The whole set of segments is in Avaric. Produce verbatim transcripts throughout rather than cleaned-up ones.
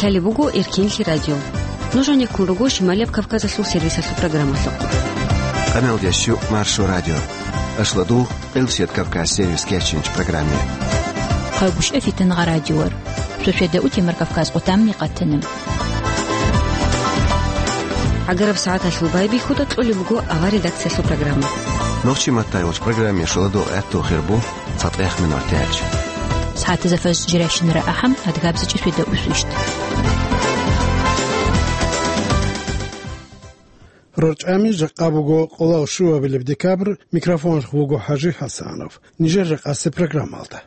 Лъалеб буго Эркенлъи радио. Нуж гьанеккун руго Шималияб Кавказалъул сервисалъул программалъухъ. Къаналдияс щу Маршо радио. Ашладу Элсет Кавказ сервис кечинч программе. Хъайбушев Фитнагъа радиор. Шошведа утимар Кавказ къутамни къатана. ГӀагараб сагӀаталъул байбихьуда кьолеб буго авар редакциялъул программа. Нохчи маттайвулч программе шуладул гӀатту хирбу. ЦатӀех минуталъ. СагӀатазда фажр жиращинара ахӀам, адгабзичӀи светда усвищт. РорчӀами жакъа буго къоло щуабилеб декабрь, микрофонлъ вуго ХӀажи ХӀасанов. Нижер жакъасеб программалда.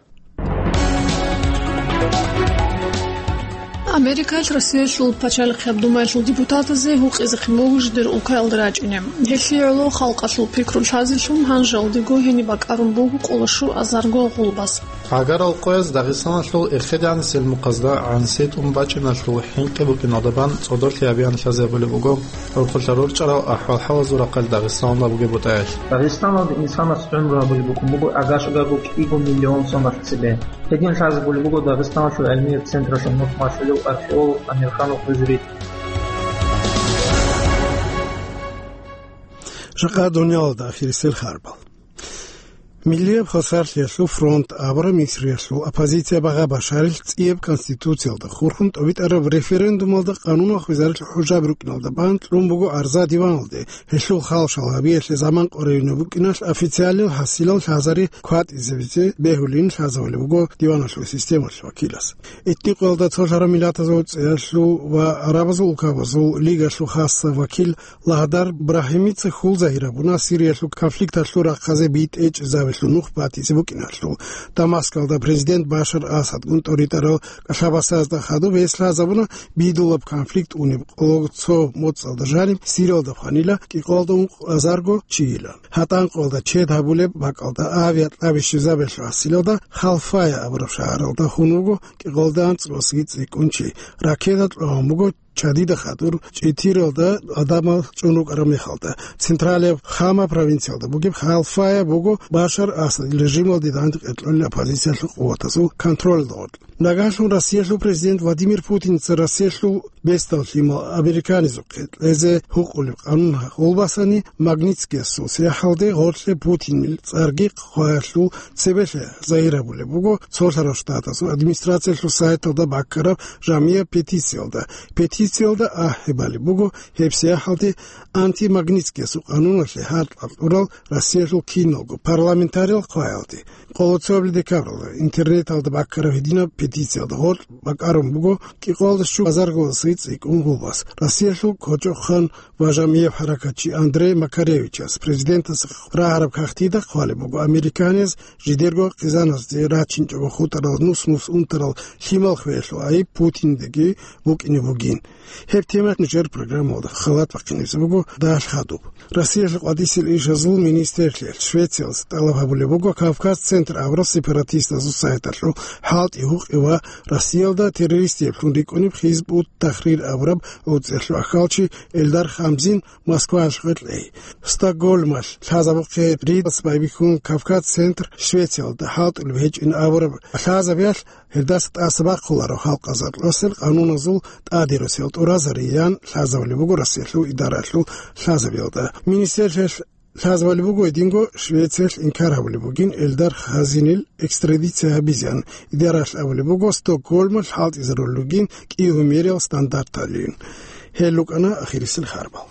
Америкалъ Россиялъул пачалихъияб думаялъул депутатазе гьукъизехъин буго жидер улкаялда рачӀине. Гьелъие гӀоло халкъалъул пикру лъазелъун гьанжалдего гьениб бакӀарун буго къоло щуазарго гъулбас. ГӀагарал къояз Дагъистаналъул эхедегӀанасел мухъазда гӀанасиятӀун бачӀиналъул хӀинкъи букӀиналда бан цӀодорлъи гьабиялъазе абулеб буго. ГӀурхъулъа рорчӀарал ахӀвал-хӀалазул рахъалъ Дагъистаналда бугеб бутӀаялъ. Дагъистаналда инсанас гӀумру гьабулеб букӀун буго агашӀагарго кӀиго миллион соналъ цебе. Гьедин лъазабулеб буго Дагъистаналъул гӀилмияб централъул мухь малъулев археолог Амирханов Гъузрит. Жакъа дуниялалда ахирисел харбал. Миллияб хвасарлъиялъул фронт абураб Мисриялъул оппозиция Багъа Башарил цӀияб конституциялда хурхун тӀобитӀараб референдумалда къанунал хвезарил хӀужаби рукӀиналда бан кьун буго арза диваналде, гьелъул хал-шал гьабиялъе заман къваригӀунеб букӀиналъ официалил хӀасилал лъазари кватӀизабизе бегьулин лъазабулеб буго диваналъул системалъ вакилас. Этникоялда цолъараб миллатазул цӀиялъул ва гӀарабазул улкабазул лигалъул хасса вакил Лагьдар Брахимица хьул загьир гьабуна Сириялъул конфликталъул рахъазе битӀе чӀезабилъун нух батизе букӀиналъул. Дамаскалда президент Башар Асадгун тӀоритӀарал кӀалъабасазда хадуб гьес лъазабуна бидулаб конфликт унеб къоло цо моцӀалда жаниб Сириялда хванила кӀикъоялда ункъазарго чийилан. ГьатӀанкъоялда чед гьабулеб бакӀалда авиакьаби щвезабиялъул гьасилалда Халфая абураб шагьаралда хун вуго кӀикъоялда анцӀбасги цӀикӀкӀун чи. Ракета кьван буго чадида хадур чӀитиралда адамал чӀун рукӀараб мехалда. Централияб Хама провинциялда бугеб Халфая буго Башар Асадил режималде данде къеркьолел оппозициялъул къуватазул контролалда гъоркь. Нагагьлъун Россиялъул президент Владимир Путинца Россиялъул бесдал лъимал американизухъе кьезе гьукъулеб къанун гъулбасани Магнитскиясул сияхӀалде гъоркье Путинил цӀарги хъваялъул цебелъе загьир гьабулеб буго Цолъарал Штатазул администрациялъул сайталда баккараб жамияб петициялда. Петициялда ахӀи балеб буго гьеб сияхӀалде антимагнитскиясул къануналъе гьаркьал кьурал Россиялъул киналго парламентариял хъваялде. Къоло цояб декабралда интернеталда баккараб гьединаб петициялда гъоркь бакӀарун буго кӀикъоялда щуазарго цӀикӀкӀун гъулбас. Россиялъул кочӀохъан ва жамияб хӀаракатчи Андрей Макаревичас президентас рагӀараб кагътида хъвалеб буго американияз жидерго хъизаназде рачинчӀого хутӀарал нус-нус унтарал лъимал хвеялъул гӀайиб Путиндеги букӀине бугин. Гьеб тема нижер программалда халат бахъинабизе буго дагьалъ хадуб. Россиялъул къватӀисел ишазул министрлъиялъ Швециялъ тӀалаб гьабулеб буго Кавказ Центр абураб сепаратистазул сайталъул хӀалтӀи гьукъи ва Россиялда террористиблъун рикӀкӀунеб Хизб ут-Тахрир абураб гӀуцӀиялъул ахьалчи Эльдар Хамзин Москваялъухъе кьей. Стокгольмалъ лъазабухъе ритӀас байбихьун Кавказ Центр Швециялда хӀалтӀулеб гьечӀин абураб лъазабиялъ гьелдаса тӀаса бахъуларо халкъазул къануназул тӀадирусел тӀуразариян лъазабулеб буго Россиялъул идараялъул лъазабиялда. Министрлъиялъ лъазабулеб буго гьединго Швециялъ инкар гьабулеб бугин Эльдар Хамзинил экстрадиция гьабизеян. Идараялъ абулеб буго Стокгольмалъ хӀалтӀизарулел ругин кӀиго мериял стандарталъуйин. Гьел рукӀана ахирисел харбал.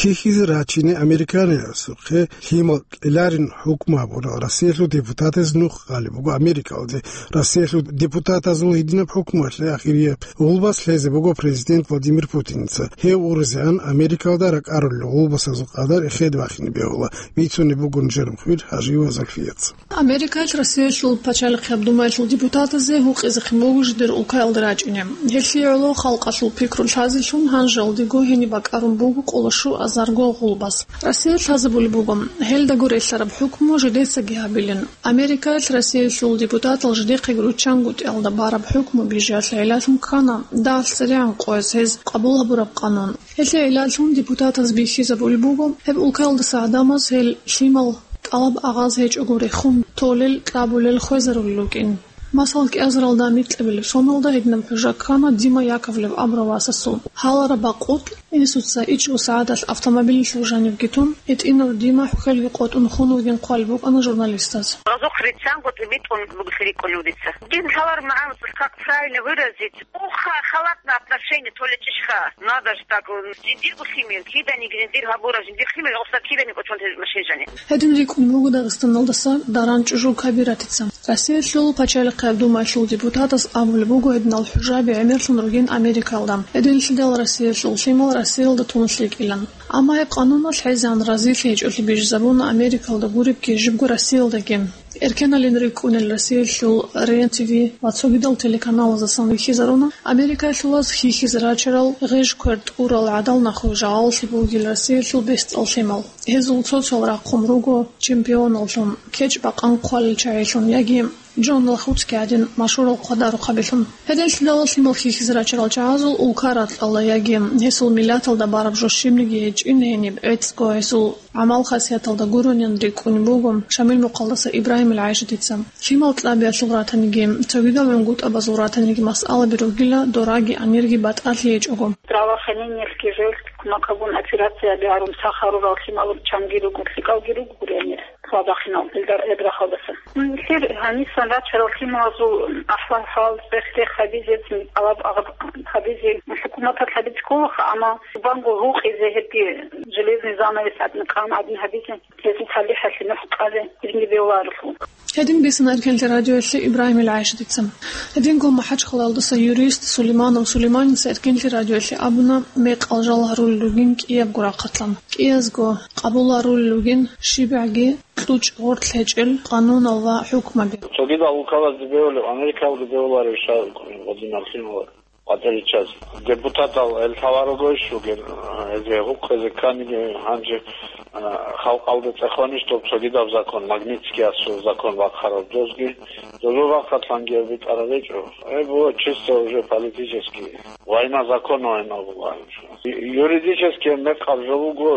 Хьихьизе рачине американиясухъе лъимал кьеларин хӀукму гьабурал Россиялъул депутатаз нух къалеб буго Америкалде. Россиялъул депутатазул гьединаб хӀукмуялъе ахирияб гъулбас лъезе буго президент Владимир Путинца. Гьев урузеан Америкалда ракӀарулел гъулбасазул къадар эхеде бахине бегьула, бицунеб буго нижер мухбир ХӀажиева Зульфияца. Америкалъ Россиялъул пачалихъияб думаялъул депутатазе гьукъизехъин буго жидер улкаялда рачӀине. Гьелъие гӀоло халкъалъул пикру лъазелъун гьанжалдего гьениб бакӀарун буго къоло щуаз Зарго гъулбас. Россия лъазабулеб буго, гьелдаго релълъараб хӀукму жидецаги гьабилин. Америкаялъ Россиялъул депутатал жидехъеги руччанго тӀиялда бараб хӀукму бижиялъе гӀиллалъун ккана дагьалъ церегӀан къояз гьез къабул гьабураб къанун. Гьелъие гӀиллалъун депутатаз бихьизабулеб буго, гьеб улкаялдаса гӀадамаз гьел лъимал тӀалаб агъаз гьечӀого рехун толел, кьабулел, хвезарулел рукӀин. Масал, кӀиазаралда микьабилеб соналда гьединаб хӀужа ккана Дима Яковлев абурав васасул. Гьалараб бакъулъ, инсуца ичӀго сагӀаталъ автомобилалъув жанивги тун, гьитӀинав Дима хӀухьелги къотӀун хун вугин хъвалеб букӀана журналистаз. Разухъ риччанго тӀибитӀун бугелъи рикӀкӀунев дица. Дин лъалар магӀан как правильно выразить? Уха, халатное отношение, то ли чӀищха. Надо ж так, жиндирго лъимер, киданиги жиндир гьабура, жиндир лъимер, гъосда киданиги кӀочон те машин жани. Гьедин рикӀкӀун буго Дагъистаналдаса Даран ЧӀужу Кабиратица. Россиялъул Пачалихъе Думаялъул депутатас абулеб буго гьединал хӀужаби гӀемерлъун ругин Америкалда. Гьединлъидал Россиялъул лъимал Россиялда тун лъикӀилан. Амма гьеб къануналъ хӀезегӀан разилъи гьечӀолъи бижизабуна Америкалда гуребги жибго Россиялдаги. Эркеналин рикӀкӀунел Россиялъул РЕН-ТВ ва цогидал телеканалаздасан вихьизаруна Америкаялъулаз хьихьизе рачарал гъеж-квер тӀурал гӀадал нахуе жагьаллъи бугел Россиялъул бесдал лъимал. Гьезул цо-цоял рахъун руго чемпионаллъун, кечӀ-бакъан хъвалел чагӀилъун яги Джон Лахуцки гӀадин машгьурал хъвадарухъабилъун. Гьединлъидал лъимал хьихьизе рачарал чагӀазул улка ракьалда яги гьесул миллаталда бараб жо щибниги гьечӀин гьениб, гӀецӀго гьесул гӀамал-хасияталда гуронин рикӀкӀунеб буго Шамил-Мухъалдаса Ибрагьимил ГӀайшатица. Лъимал кьабиялъул ратаниги, цогидал гӀунгутӀабазул ратаниги масъалаби ругила, дораги, анирги батӀалъи гьечӀого. Здравоохранениялъги жеялъги кумекалгун операцияби гьарун сах гьарурал лъималул чанги руго, лъикӀалги руго гуренир. Хабахъинал, илдар эбрахъалдаса. Нилъер гьанисан рачарал лъималазул ахӀвал-хӀал, цӀех-рех гьабизе, тӀалаб-агъаб гьабизе, хӀукуматалъ гьабизе кколаха, амма зубанго гьукъизе гьебги железный занавес гӀадин, къан гӀадин гьабизе, гьезул талихӀалъе нух кьазе, гьединги бегьуларелъул. Гьедин бицана Эркенлъи радиоялъе Ибрагьимил ГӀайшатица. Гьединго МахӀачхъалаялдаса юрист Сулейманов Сулейманица Эркенлъи радиоялъе абуна, мекъал жал гьарулел ругин кӀиябго рахъалъан. КӀиязго къабул гьарулел ругин щибгӀаги кьучӀ-гъоркь гьечӀел къанунал ва хӀукмаби. Цогидал улкалазде бегьулеб, Америкалде бегьуларев ша гьадинал лъимал къватӀириччаз. Депутатал гьел лъаларого иш ругел, гьезие гьукъизе кканиги гьанже, а, халкъалда цӀехонищ доб цогидаб закон, Магнитскиясул закон бахъараб дозги, дозул рахъалъанги гьеб битӀараб гьечӀо. Гьеб буго чисто уже политический. Война законов гьеб буго гьанже. Юридически мекъаб жо буго,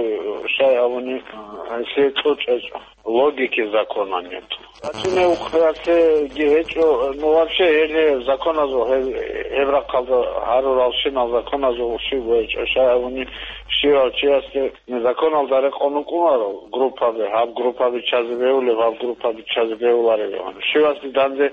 щай абуни, а, гьесие кьучӀ гьечӀо. Логики закона нет. Гьачине ухъялъеги гьечӀо, ну, вообще, гьеле законазул, гьеб, гьеб рахъалда гьаруралщинал законазул щиб гьечӀо, щай абуни, щивав чиясде законалда рекъон вукӀунаро группаби, гьаб группаби чазе бегьулеб, гьаб группаби чазе бегьулареб, щивасде данде,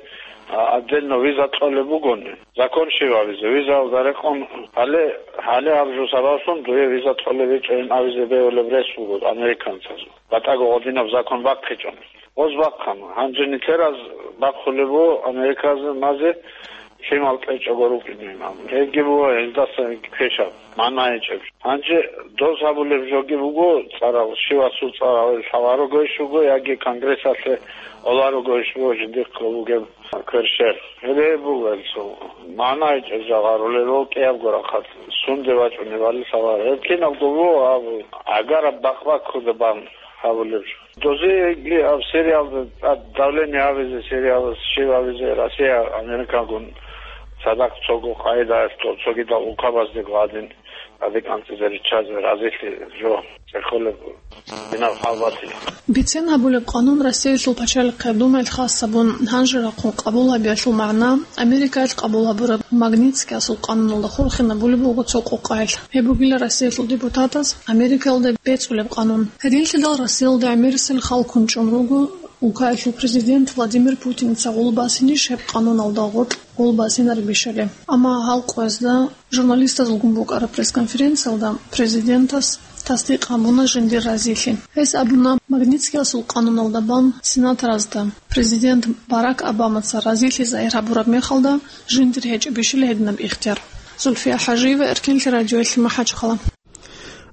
а, отдельно виза кьолеб бугони. Закон щивабизе, визаялда рекъон, гьале, гьале гьаб жо сабаблъун дуе виза кьолеб гьечӀо ин абизе бегьулеб рес буго американцазул. БатӀаго гьадинаб закон бахъичӀони. Гъоз бахъана. Гьанже нилъераз бахъулеб буго Америказе лъимал кьечӀого рукӀинин абун. Гьебги буго гьелдаса квешаб, магӀна гьечӀеб. Гьанже доз гьабулеб жоги буго цӀарал, щивасул цӀарал лъаларого иш вуго, яги Конгрессалъе оларого иш вуго жиндихъго бугеб кверщел. Гьеб буго гьелцо магӀна гьечӀеб жо гьарулел, кӀиябго рахъалъ сунде вачӀунебали лъаларо. Гьеб кинабго буго гьаб гӀагараб бакъ-баккуда бан гьабулеб жо. Дозеги гьаб Сириялда тӀад давление гьабизе, Сириялас щиб гьабизе, Россия, Америкагун цадахъ цого къагӀидаялъ цогидал улкабаздего гьадин тӀаде кӀанцӀизе риччазе разилъи жо цӀехолеб гьинаб хӀал батила. Бицен гьабулеб къанун Россиялъул Пачалихъе Думаялъ хас гьабун, гьанже рахъун къабул гьабиялъул магӀна, Америкаялъ къабул гьабураб Магнитскиясул къануналда хурхинабулеб буго цо къокъаялъ. Гьеб бугила Россиялъул депутатаз Америкаялда бецӀулеб къанун. Гьединлъидал Россиялда гӀемерисел халкун чӀун руго улкаялъул президент Владимир Путиница гъулбасинищ гьеб къануналда гъоркь гъулбасинаребищали. Амма гьал къоязда журналистазулгун букӀараб пресс-конференциялда президентас тасдикъ гьабуна жиндир разилъи. Гьес абуна, Магнитскиясул къануналда бан сенаторазда президент Барак Обамаца разилъи загьир гьабураб мехалда жиндир гьечӀебищали гьединаб ихтияр. Зульфия ХӀажиева, Эркенлъи радиоялъе, МахӀачхъала.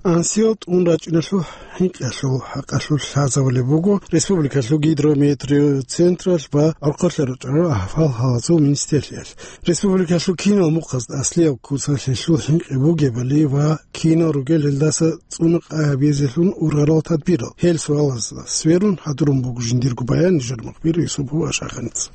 Ансиялда тӀун рачӀиналъул хӀинкъиялъул хӀакъалъулъ лъазабулеб буго республикалъул гидрометеоцентралъ ва гӀорхъолъа рорчӀарал ахӀвал-хӀалазул министрлъиялъ. Республикалъул кинал мухъазда аслияб куцалъ гьелъул хӀинкъи бугебали ва кинал ругел гьелдаса цӀуна къай гьабизелъун ургъарал тадбирал. Гьел суалазда сверун гьадурун буго жиндирго баян нижер мухбир Юсупов Ашаханица.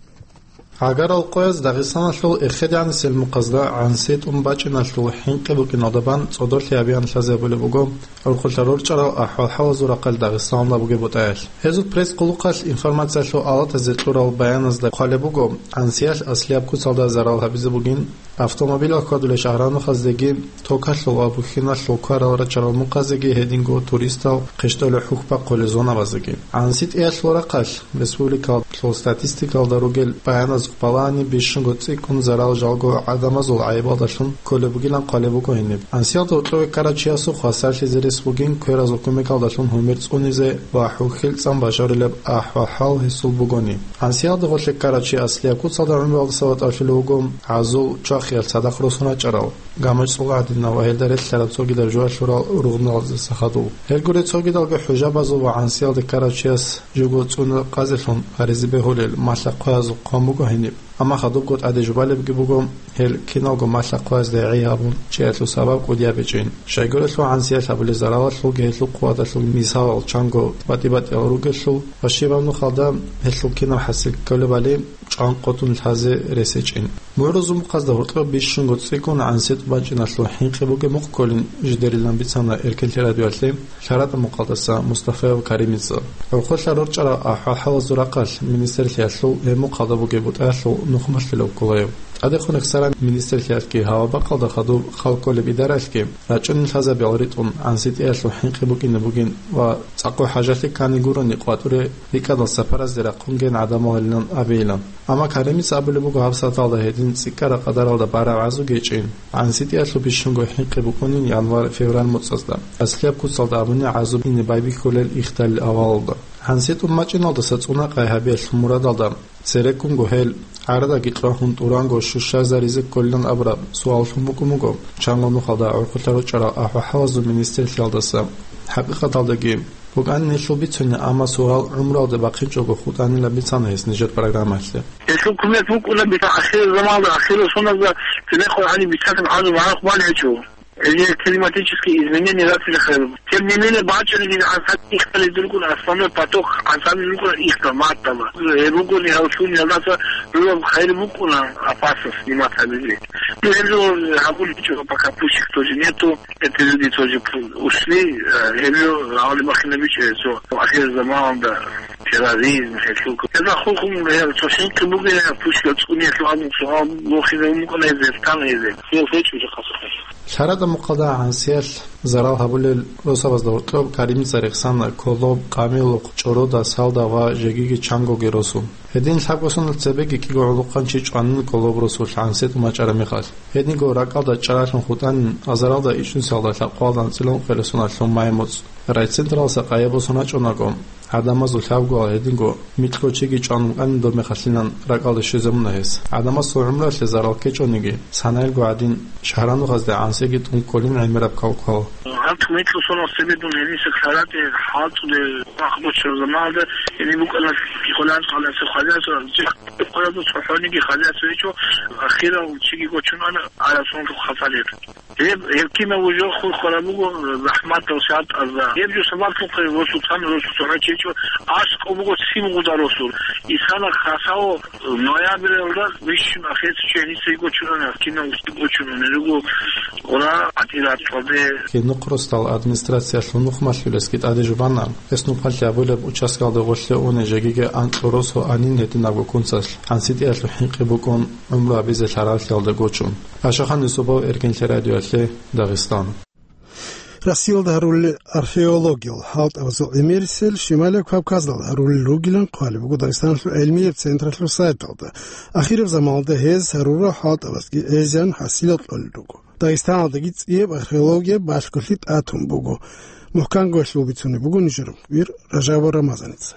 Гьагарал къояз Дагъистаналъул эхедегӀанасел мухъазда гӀанси тӀун бачӀиналъул хӀинкъи букӀиналда бан цӀодорлъи гьабиялъ лъазабулеб буго гӀурхъулъа рорчӀарал ахӀвал-хӀалазул рахъалъ Дагъистаналда бугеб бутӀаялъ. Гьезул пресс-къулухъалъ информациялъул алатазе кьурал баяназда хъвалеб буго, гӀансиялъ аслияб куцалда зарал гьабизе бугин, автомобилал хьвадулел шагьранухъаздеги, токалъул ва бухьиналъул кварал рачарал мухъазеги, гьединго туристал хъищтӀолел хӀухьбахъулел зонабазеги. ГӀанси тӀиялъул рахъалъ, республикалъул статистикалда ругел баяназ балагьани бищунго цӀикӀкӀун зарал жалго гӀадамазул гӀайибалдалъун кколеб бугилан хъвалеб буго гьениб. ГӀансиялда гьоркьове ккарав чиясухъ хвасарлъизе рес бугин кверазул кумекалдалъун гьумер цӀунизе ва хӀухьил цӀан бажарулеб ахӀвал-хӀал гьесул бугони. ГӀансиялда гъорлъе ккарав чи аслияб куцалда гӀумруялдаса ватӀалъулев вуго, гӀазул чвахиялъ цадахъ росун рачӀарал, гамачӀ цӀула гӀадинав ва гьелда релълъараб цогидаб жугьа лъурал ругъналдаса хадув. Гьел гуреб цогидалги хӀужабазул ва гӀансиялде ккарав чияс живго цӀуна къазелъун гьаризе бегьулел малъа-хъваязул хъван буго гьениб. Амма хадубго тӀаде жубалебги буго, гьел киналго малъа-хъваязда гӀей гьабун чӀеялъул сабаб кӀудияб гьечӀин. Щайгурелъул гӀансиялъ гьабулел заралалъулги гьелъул хъугьадалъулги мисалал чанго батӀи-батӀиял ругелъул ва щибаб нухалда гьелъул кинаб хӀасил кколебали чӀван къотӀун лъазе рес гьечӀин. МугӀрузул мухъазда гьоркьоб бищунго цӀикӀкӀун гӀанси тӀун бачӀиналъул хӀинкъи бугеб мухъ кколин жидерилан бицана Эркенлъи радиоялъе ЛъаратӀа мукъалдаса Мустафаев Каримица. ГӀурхъулъа рорчӀарал ахӀвал-хӀалазул рахъалъ министрлъиялъул гьеб мухъалда бугеб бутӀаялъул нухмалъулев ккола гьев. ТӀадехун рехсаран министрлъиялъги гьав бакӀалда хадуб хал кколеб идаралъги рачӀунел лъазабиял ритӀун гӀанси тӀиялъул хӀинкъи букӀине бугин ва цӀакъго хӀажалъи ккани гурони къватӀуре рикӀкӀадал сапаразде рахъунген гӀадамалилан абейилан. Амма Каримица абулеб буго гьаб саталда гьедин цӀикӀкӀараб къадаралда бараб гӀазу гьечӀин. ГӀанси тӀиялъул бищунго хӀинкъи букӀунин январь-февраль муцӀазда. Аслияб куцалда абуни гӀазу ине байбихьулел ихталил авалалда. ГӀанси тӀун бачӀиналдаса цӀуна къай гьабиялъул мурадалда цереккунго гьел гӀарадаги кьвагьун тӀуранго щущарзаризе кколилан абураб суаллъун букӀун буго чанго нухалда гӀурхъулъа рорчӀарал ахӀвал-хӀалазул министрлъиялдаса. ХӀакъикъаталдаги букӀанин гьелъул бицуни, амма суал гӀумруялде бахъинчӀого хутӀанилан бицана гьес нижер программаялъе. Гьелъул кумек букӀуна бетӀер ахирзаманалда, ахирал соназда цебехъ гьаниб бицараб гӀазу магӀарухъ бан гьечӀо. Гьеле климатические изменения ратилахъе. Тем не менее, бачӀунеб гӀансаби ихтализе рукӀуна, основной поток гӀансаби рукӀуна ихтал, маттала. Гьеб бугони гьав лъугьиналдаса рураб хайир букӀуна опасность снимать гьабизе. Ну, гьеб жо гьабулеб гьечӀо, пока пущих тоже нету. Эти люди тоже ушли, э, гьеб жо гьавали бахинабичӀо гьесо. Ахир заманалда терроризм, гьелъул. Гьезда хурхун гьел цо хӀинкъи бугеб, пущ цӀуниялъул абун суал бохизе букӀана гьезие, тан гьезие. Гьел гьечӀо жакъасухъе. ЛъаратӀа мухъалда гӀансиялъ зарал гьабулел росабазда гьоркьоб Каримица рехсана Колоб, Къамилухъ, ЧӀорода, Салда ва жегиги чангоги росун. Гьедин лъабго сонал цебеги кӀиго гӀолохъанчи чӀванин Колоб росулъ гӀанси тӀун бачӀараб мехалъ. Гьединго ракӀалда чӀаралъун хутӀанин, азаралда ичӀнусиялда лъабкъоялда анцӀила ункъоялда соналъ май муцӀ. Райцентралдаса къайи босун рачӀунаго, гӀадамазул лъабгоял гьединго микьго чиги чӀван букӀанин, доб мехалъилан ракӀалде щвезабуна гьес. ГӀадамасул гӀумруялъе зарал ккечӀониги, санаялго гӀадин, шагьранухъазда гӀансиги тӀун кколин гӀемераб кавкал. Гьаб микьго сонал цебе дун гьениса ЛъаратӀе хӀалтӀулел рахъ бачараб заманалда, гьениб букӀана Хъулант къалаялъул хозяйство, хъулазул цохӀониги хозяйство гьечӀо, ахирал чиги гочун ана, гӀараб сонлъухъ хасалир. Гьеб, гьеб кинабго жо хурхараб буго захӀматал шартӀазда. Гьеб жо сабаблъухъе росулъан росу цохӀо чечӀо, аскӀоб буго цин гъуда росул. Исана хасаво ноябрьалда вищун ахирцичӀо гьениса йиго чурана, кинабго гьечӀо нуни руго гъура гӀатӀира цӀоде. Гьеб нухъ росдал администрациялъул нухмалъулесги тӀаде жубана, гьес нухмалъи абулеб участкалда гъорлъе уне жегиги анкьго росу анин гьединабго кунцалъ гӀанситӀиялъул хӀинкъи букӀун гӀумру гьабизе лъаралъиялда гочун. Ашахан Юсупов, Эркенлъи радиоялъе, Дагъистан. Россиялда гьарулел археологиял хӀалтӀабазул гӀемерисел Шималияб Кавказалда гьарулел ругилан хъвалеб буго Дагъистаналъул гӀелмияб централъул сайталда. Ахираб заманалда гьез гьарурал хӀалтӀабазги гӀезегӀан хӀасилал кьолел руго. Дагъистаналдаги цӀияб археологияб балъголъи тӀатун буго. МухӀканго гьелъул бицунеб буго нижер мухбир Ражабов Рамазаница.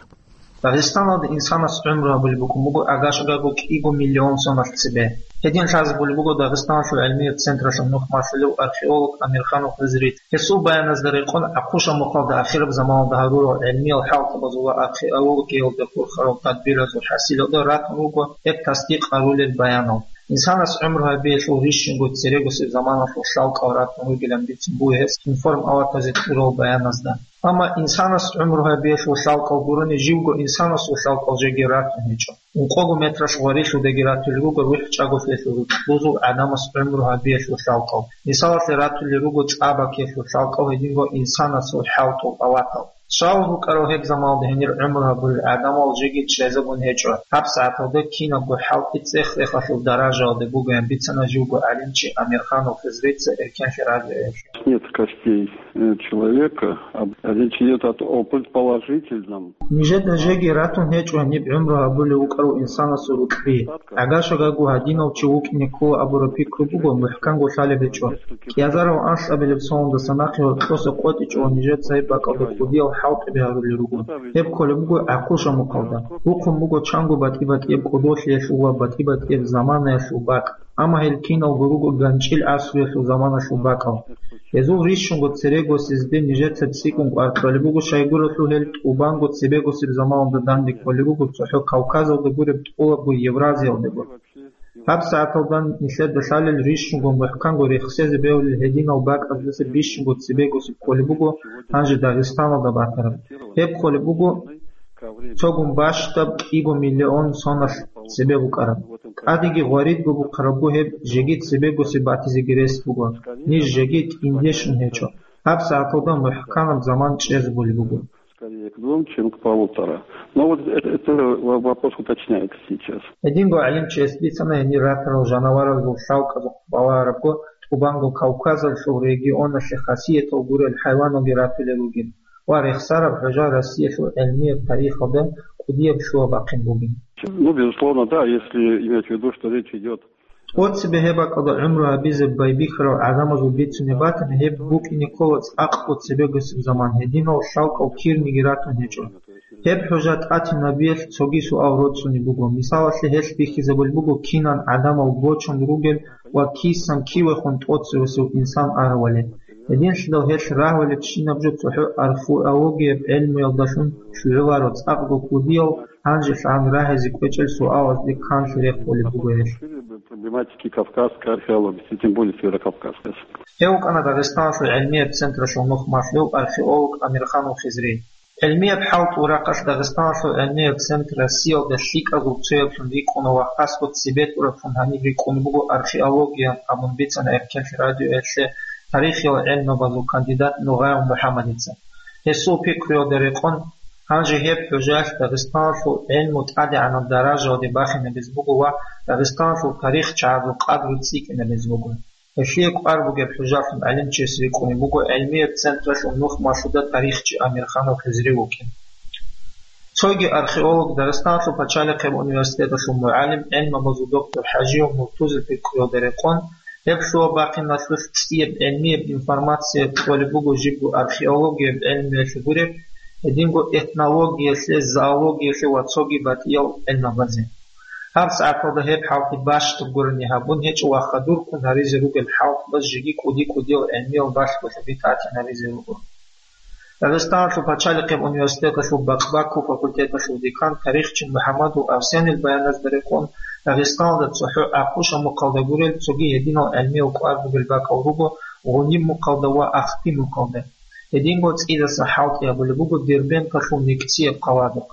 Дагъистаналда инсанас гӀумру гьабулеб букӀун буго агашагаго кӀиго миллион соналъ цебе. Гьедин лъазабулеб буго Дагъистаналъул гӀилмияб централъул нухмалъулев археолог Амирханов Хизрит. Гьесул баяназда рекъон, ГӀахъуша мухъалда ахираб заманалда гьарурал гӀилмиял хӀалтӀабазул ва археологиялда хурхарал тадбиразул хӀасилалда ратун руго гьеб тасдикъ гьарулел баянал. Инсанас гӀумру гьабиялъул рищунго церегосеб заманалъул лъалкӀал ратун ругилан бицун буго гьес информ-аватазе кьурал баяназда. Амма инсанас гӀумру гьабиялъул лъалкӀал гурони, живго инсанасул лъалкӀал жеги ратун гьечӀо. Ункъого метралъ гъварилъудаги ратулел руго рухӀчӀаголъиялъул рукьбузул гӀадамас гӀумру гьабиялъул лъалкӀал. Мисалалъе ратулел руго цӀа бакиялъул лъалкӀал, гьединго инсанасул хӀалтӀул аватал. Щал рукӀарал гьеб заманалда гьенир гӀумру гьабулел гӀадамал жеги чӀезабун гьечӀо. ГьабсагӀаталда кинабго хӀалтӀи цӀех-цӀехалъул даражаялда бугоян бицана живго гӀалимчи Амирханов Хизрица Эркенлъи радиоялъе. Нет костей, э, человека, а речь идёт о, о предположительном. Нижеда жеги ратун гьечӀо гьаниб гӀумру гьабулев вукӀарав инсанасул рукьби. ГӀагашагаго гьадинав чи вукӀине ккола абураб пикру буго, мухӀканго лъалеб гьечӀо. КӀиазарав анлъабилеб соналдаса нахъе гьоркьоса къотӀичӀого нижеца гьеб бакӀалда кӀудиял хӀалтӀаби гьарулел руго. Гьеб кколеб буго ГӀахъуша мухъалда. Бухъун буго чанго батӀи-батӀияб кӀодолъиялъул ва батӀи-батӀияб заманаялъул бакӀ. Амма гьел киналго руго ганчӀил гӀасруялъул заманалъул бакӀал. Гьезул рищунго церегосезде нижеца цӀикӀкӀун кӀвар кьолеб буго, щайгурелъул гьел тӀубанго цебегосеб заманалда данде кколеб буго цохӀо Кавказалда гуреб, тӀолабго Евразиялдаго. ГьабсагӀаталда нилъеда лъалел рищунго мухӀканго рехсезе бегьулел гьединал бакӀаздаса бищунго цебегосеб кколеб буго гьанже Дагъистаналда батараб. Гьеб кколеб буго цогун бащдаб кӀиго миллион соналъ цебе букӀараб. ТӀадеги гъваридго бухъарабго гьеб жеги цебегосеб батизеги рес буго. Ниж жеги тӀинде щун гьечӀо. ГьабсагӀаталда мухӀканаб заман чӀезабулеб буго. Скорее к двум, чем к полутора. Но вот это, это во-, вопрос уточняется сейчас. Гьединго гӀалимчияс бицана гьенир ратарал жанаваралъул лъалкӀазухъ балагьарабго, тӀубанго Кавказалъул регионалъе хасиятал гурел хӀайваналги ратулел ругел ва рехсараб хӀужа Россиялъул гӀилмияб тарихалда кӀудияб лъугьа-бахъин бугин. Ну, безусловно, да, если иметь в виду, что речь идёт Цо цебе гьеб бакӀалда гӀумру гьабизе байбихьарал гӀадамазул бицунеб батани, гьеб букӀине ккола цӀакъго цебегосеб заман, гьединал лъалкӀал кирниги ратун гьечӀо. Гьеб хӀужа тӀатинабиялъ цоги суал роцӀцӀунеб буго. Мисалалъе, гьелъ бихьизабулеб буго кинан гӀадамал бочун ругел ва кисан кивехун тӀоцевесев инсан аравали. Гьединлъидал гьелъ рагьулебщинаб жо цохӀо археологияб гӀелмуялдалъун щвезе кколаро цӀакъго кӀудиял, гьанжелъ гьан рагьизе кӀвечӀел суалазде канлъи рехулеб буго гьелъ. Проблематики кавказской археологии, тем более северокавказской. Гьев вукӀана Дагъистаналъул гӀилмияб централъул нухмалъулев археолог Амирханов Хизри. ГӀилмияб хӀалтӀул рахъалъ Дагъистаналъул гӀилмияб центр Россиялда лъикӀаб цояблъун рикӀкӀуна ва хасго цебетӀураблъун гьаниб рикӀкӀунеб буго археология абун бицана Эркенлъи радиоялъе тарихиял гӀелмабазул кандидат Нугъаев МухӀаммадица. Гьесул пикруялда рекъон, гьанже гьеб хӀужалъ Дагъистаналъул гӀилму тӀадегӀанаб даражаялде бахинабизе буго ва Дагъистаналъул тарихчагӀазул къадру цӀикӀкӀинабизе буго. Гьелъие кӀвар бугеб хӀужалъун гӀалимчияс рикӀкӀунеб буго гӀилмияб централъул нухмалъуда тарихчи Амирханов Хизри вукӀин. Цоги археолог, Дагъистаналъул пачалихъеб университеталъул мугӀалим, гӀилмабазул доктор ХӀажиев Муртузил пикруялда рекъон, гьеб лъугьа-бахъиналъулъ цӀияб гӀилмияб информация кьолеб буго жибго археологияб гӀелмуялъе гуреб, гьединго этнологиялъе, зоологиялъе ва цоги батӀиял гӀелмабазе. ГьабсагӀаталда гьеб хӀалтӀи бащдаб гурони гьабун гьечӀо ва хадурккун гьаризе ругел хӀалтӀбаз жеги кӀуди-кӀудиял гӀилмиял балъголъаби тӀатинабизе руго. Дагъистаналъул пачалихъеб университеталъул бакъбаккул факультеталъул декан тарихчи МухӀаммадов Арсенил баяназда рекъон, Дагъистаналда цохӀо ГӀахъуша мухъалда гурел цоги гьединал гӀилмиял кӀвар бугел бакӀал руго Гъуниб мухъалда ва Ахти мухъалда. Гьединго цӀидасан хӀалтӀи гьабулеб буго Дербенталъул микцияб хъаладухъ.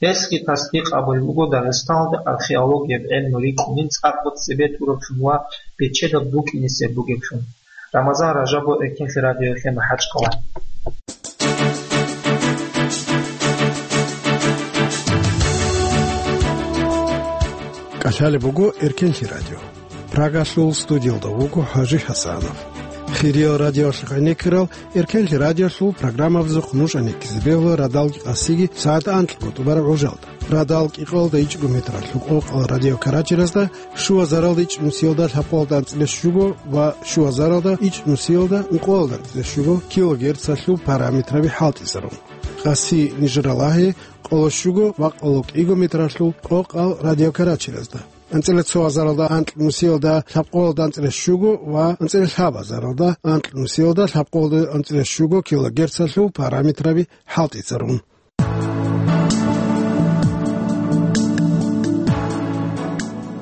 Гьесги тасдикъ гьабулеб буго Дагъистаналда археологияб гӀелму рикӀкӀунин цӀакъго цебетӀураблъун ва бечедаб букӀинесеб бугеблъун. Рамазан Ражабов, Эркенлъи радиоялъе, МахӀачкъала. КӀалъалеб буго Эркенлъи радио. Прагалъул студиялда вуго ХӀажи ХӀасанов. Хириял радиоялъухъ гӀенеккарал Эркенлъи радиоялъул программабазухъ нуж гӀенеккизе бегьула радал къасиги сагӀат анкьго тӀубараб гӀужалда. Радал кӀикъоялда ичӀго метралъ къокъал радио Карачиразда, щуазаралда ичӀнусиялда лъабкъоялда анцӀила щуго ва щуазаралда ичӀнусиялда ункъоялда анцӀила щуго килогерцалъул параметраби хӀалтӀизарун. Къаси Нижралагьи, къоло щуго ва къоло кӀиго метралъул къокъал радиокарачиразда. АнцӀила цо азаралда анкь нусиялда лъабкъоялда анцӀила щуго ва анцӀила лъаб азаралда анкь нусиялда лъабкъоялда анцӀила щуго килогерцалъул параметраби хӀалтӀицӀарун.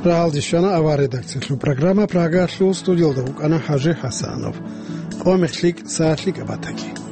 Рагьалде щвана авар редакциялъул программа, Прагалъул студиялда вукӀана ХӀажи ХӀасанов. Къо-мех лъикӀ, сагӀат лъикӀаб батаги.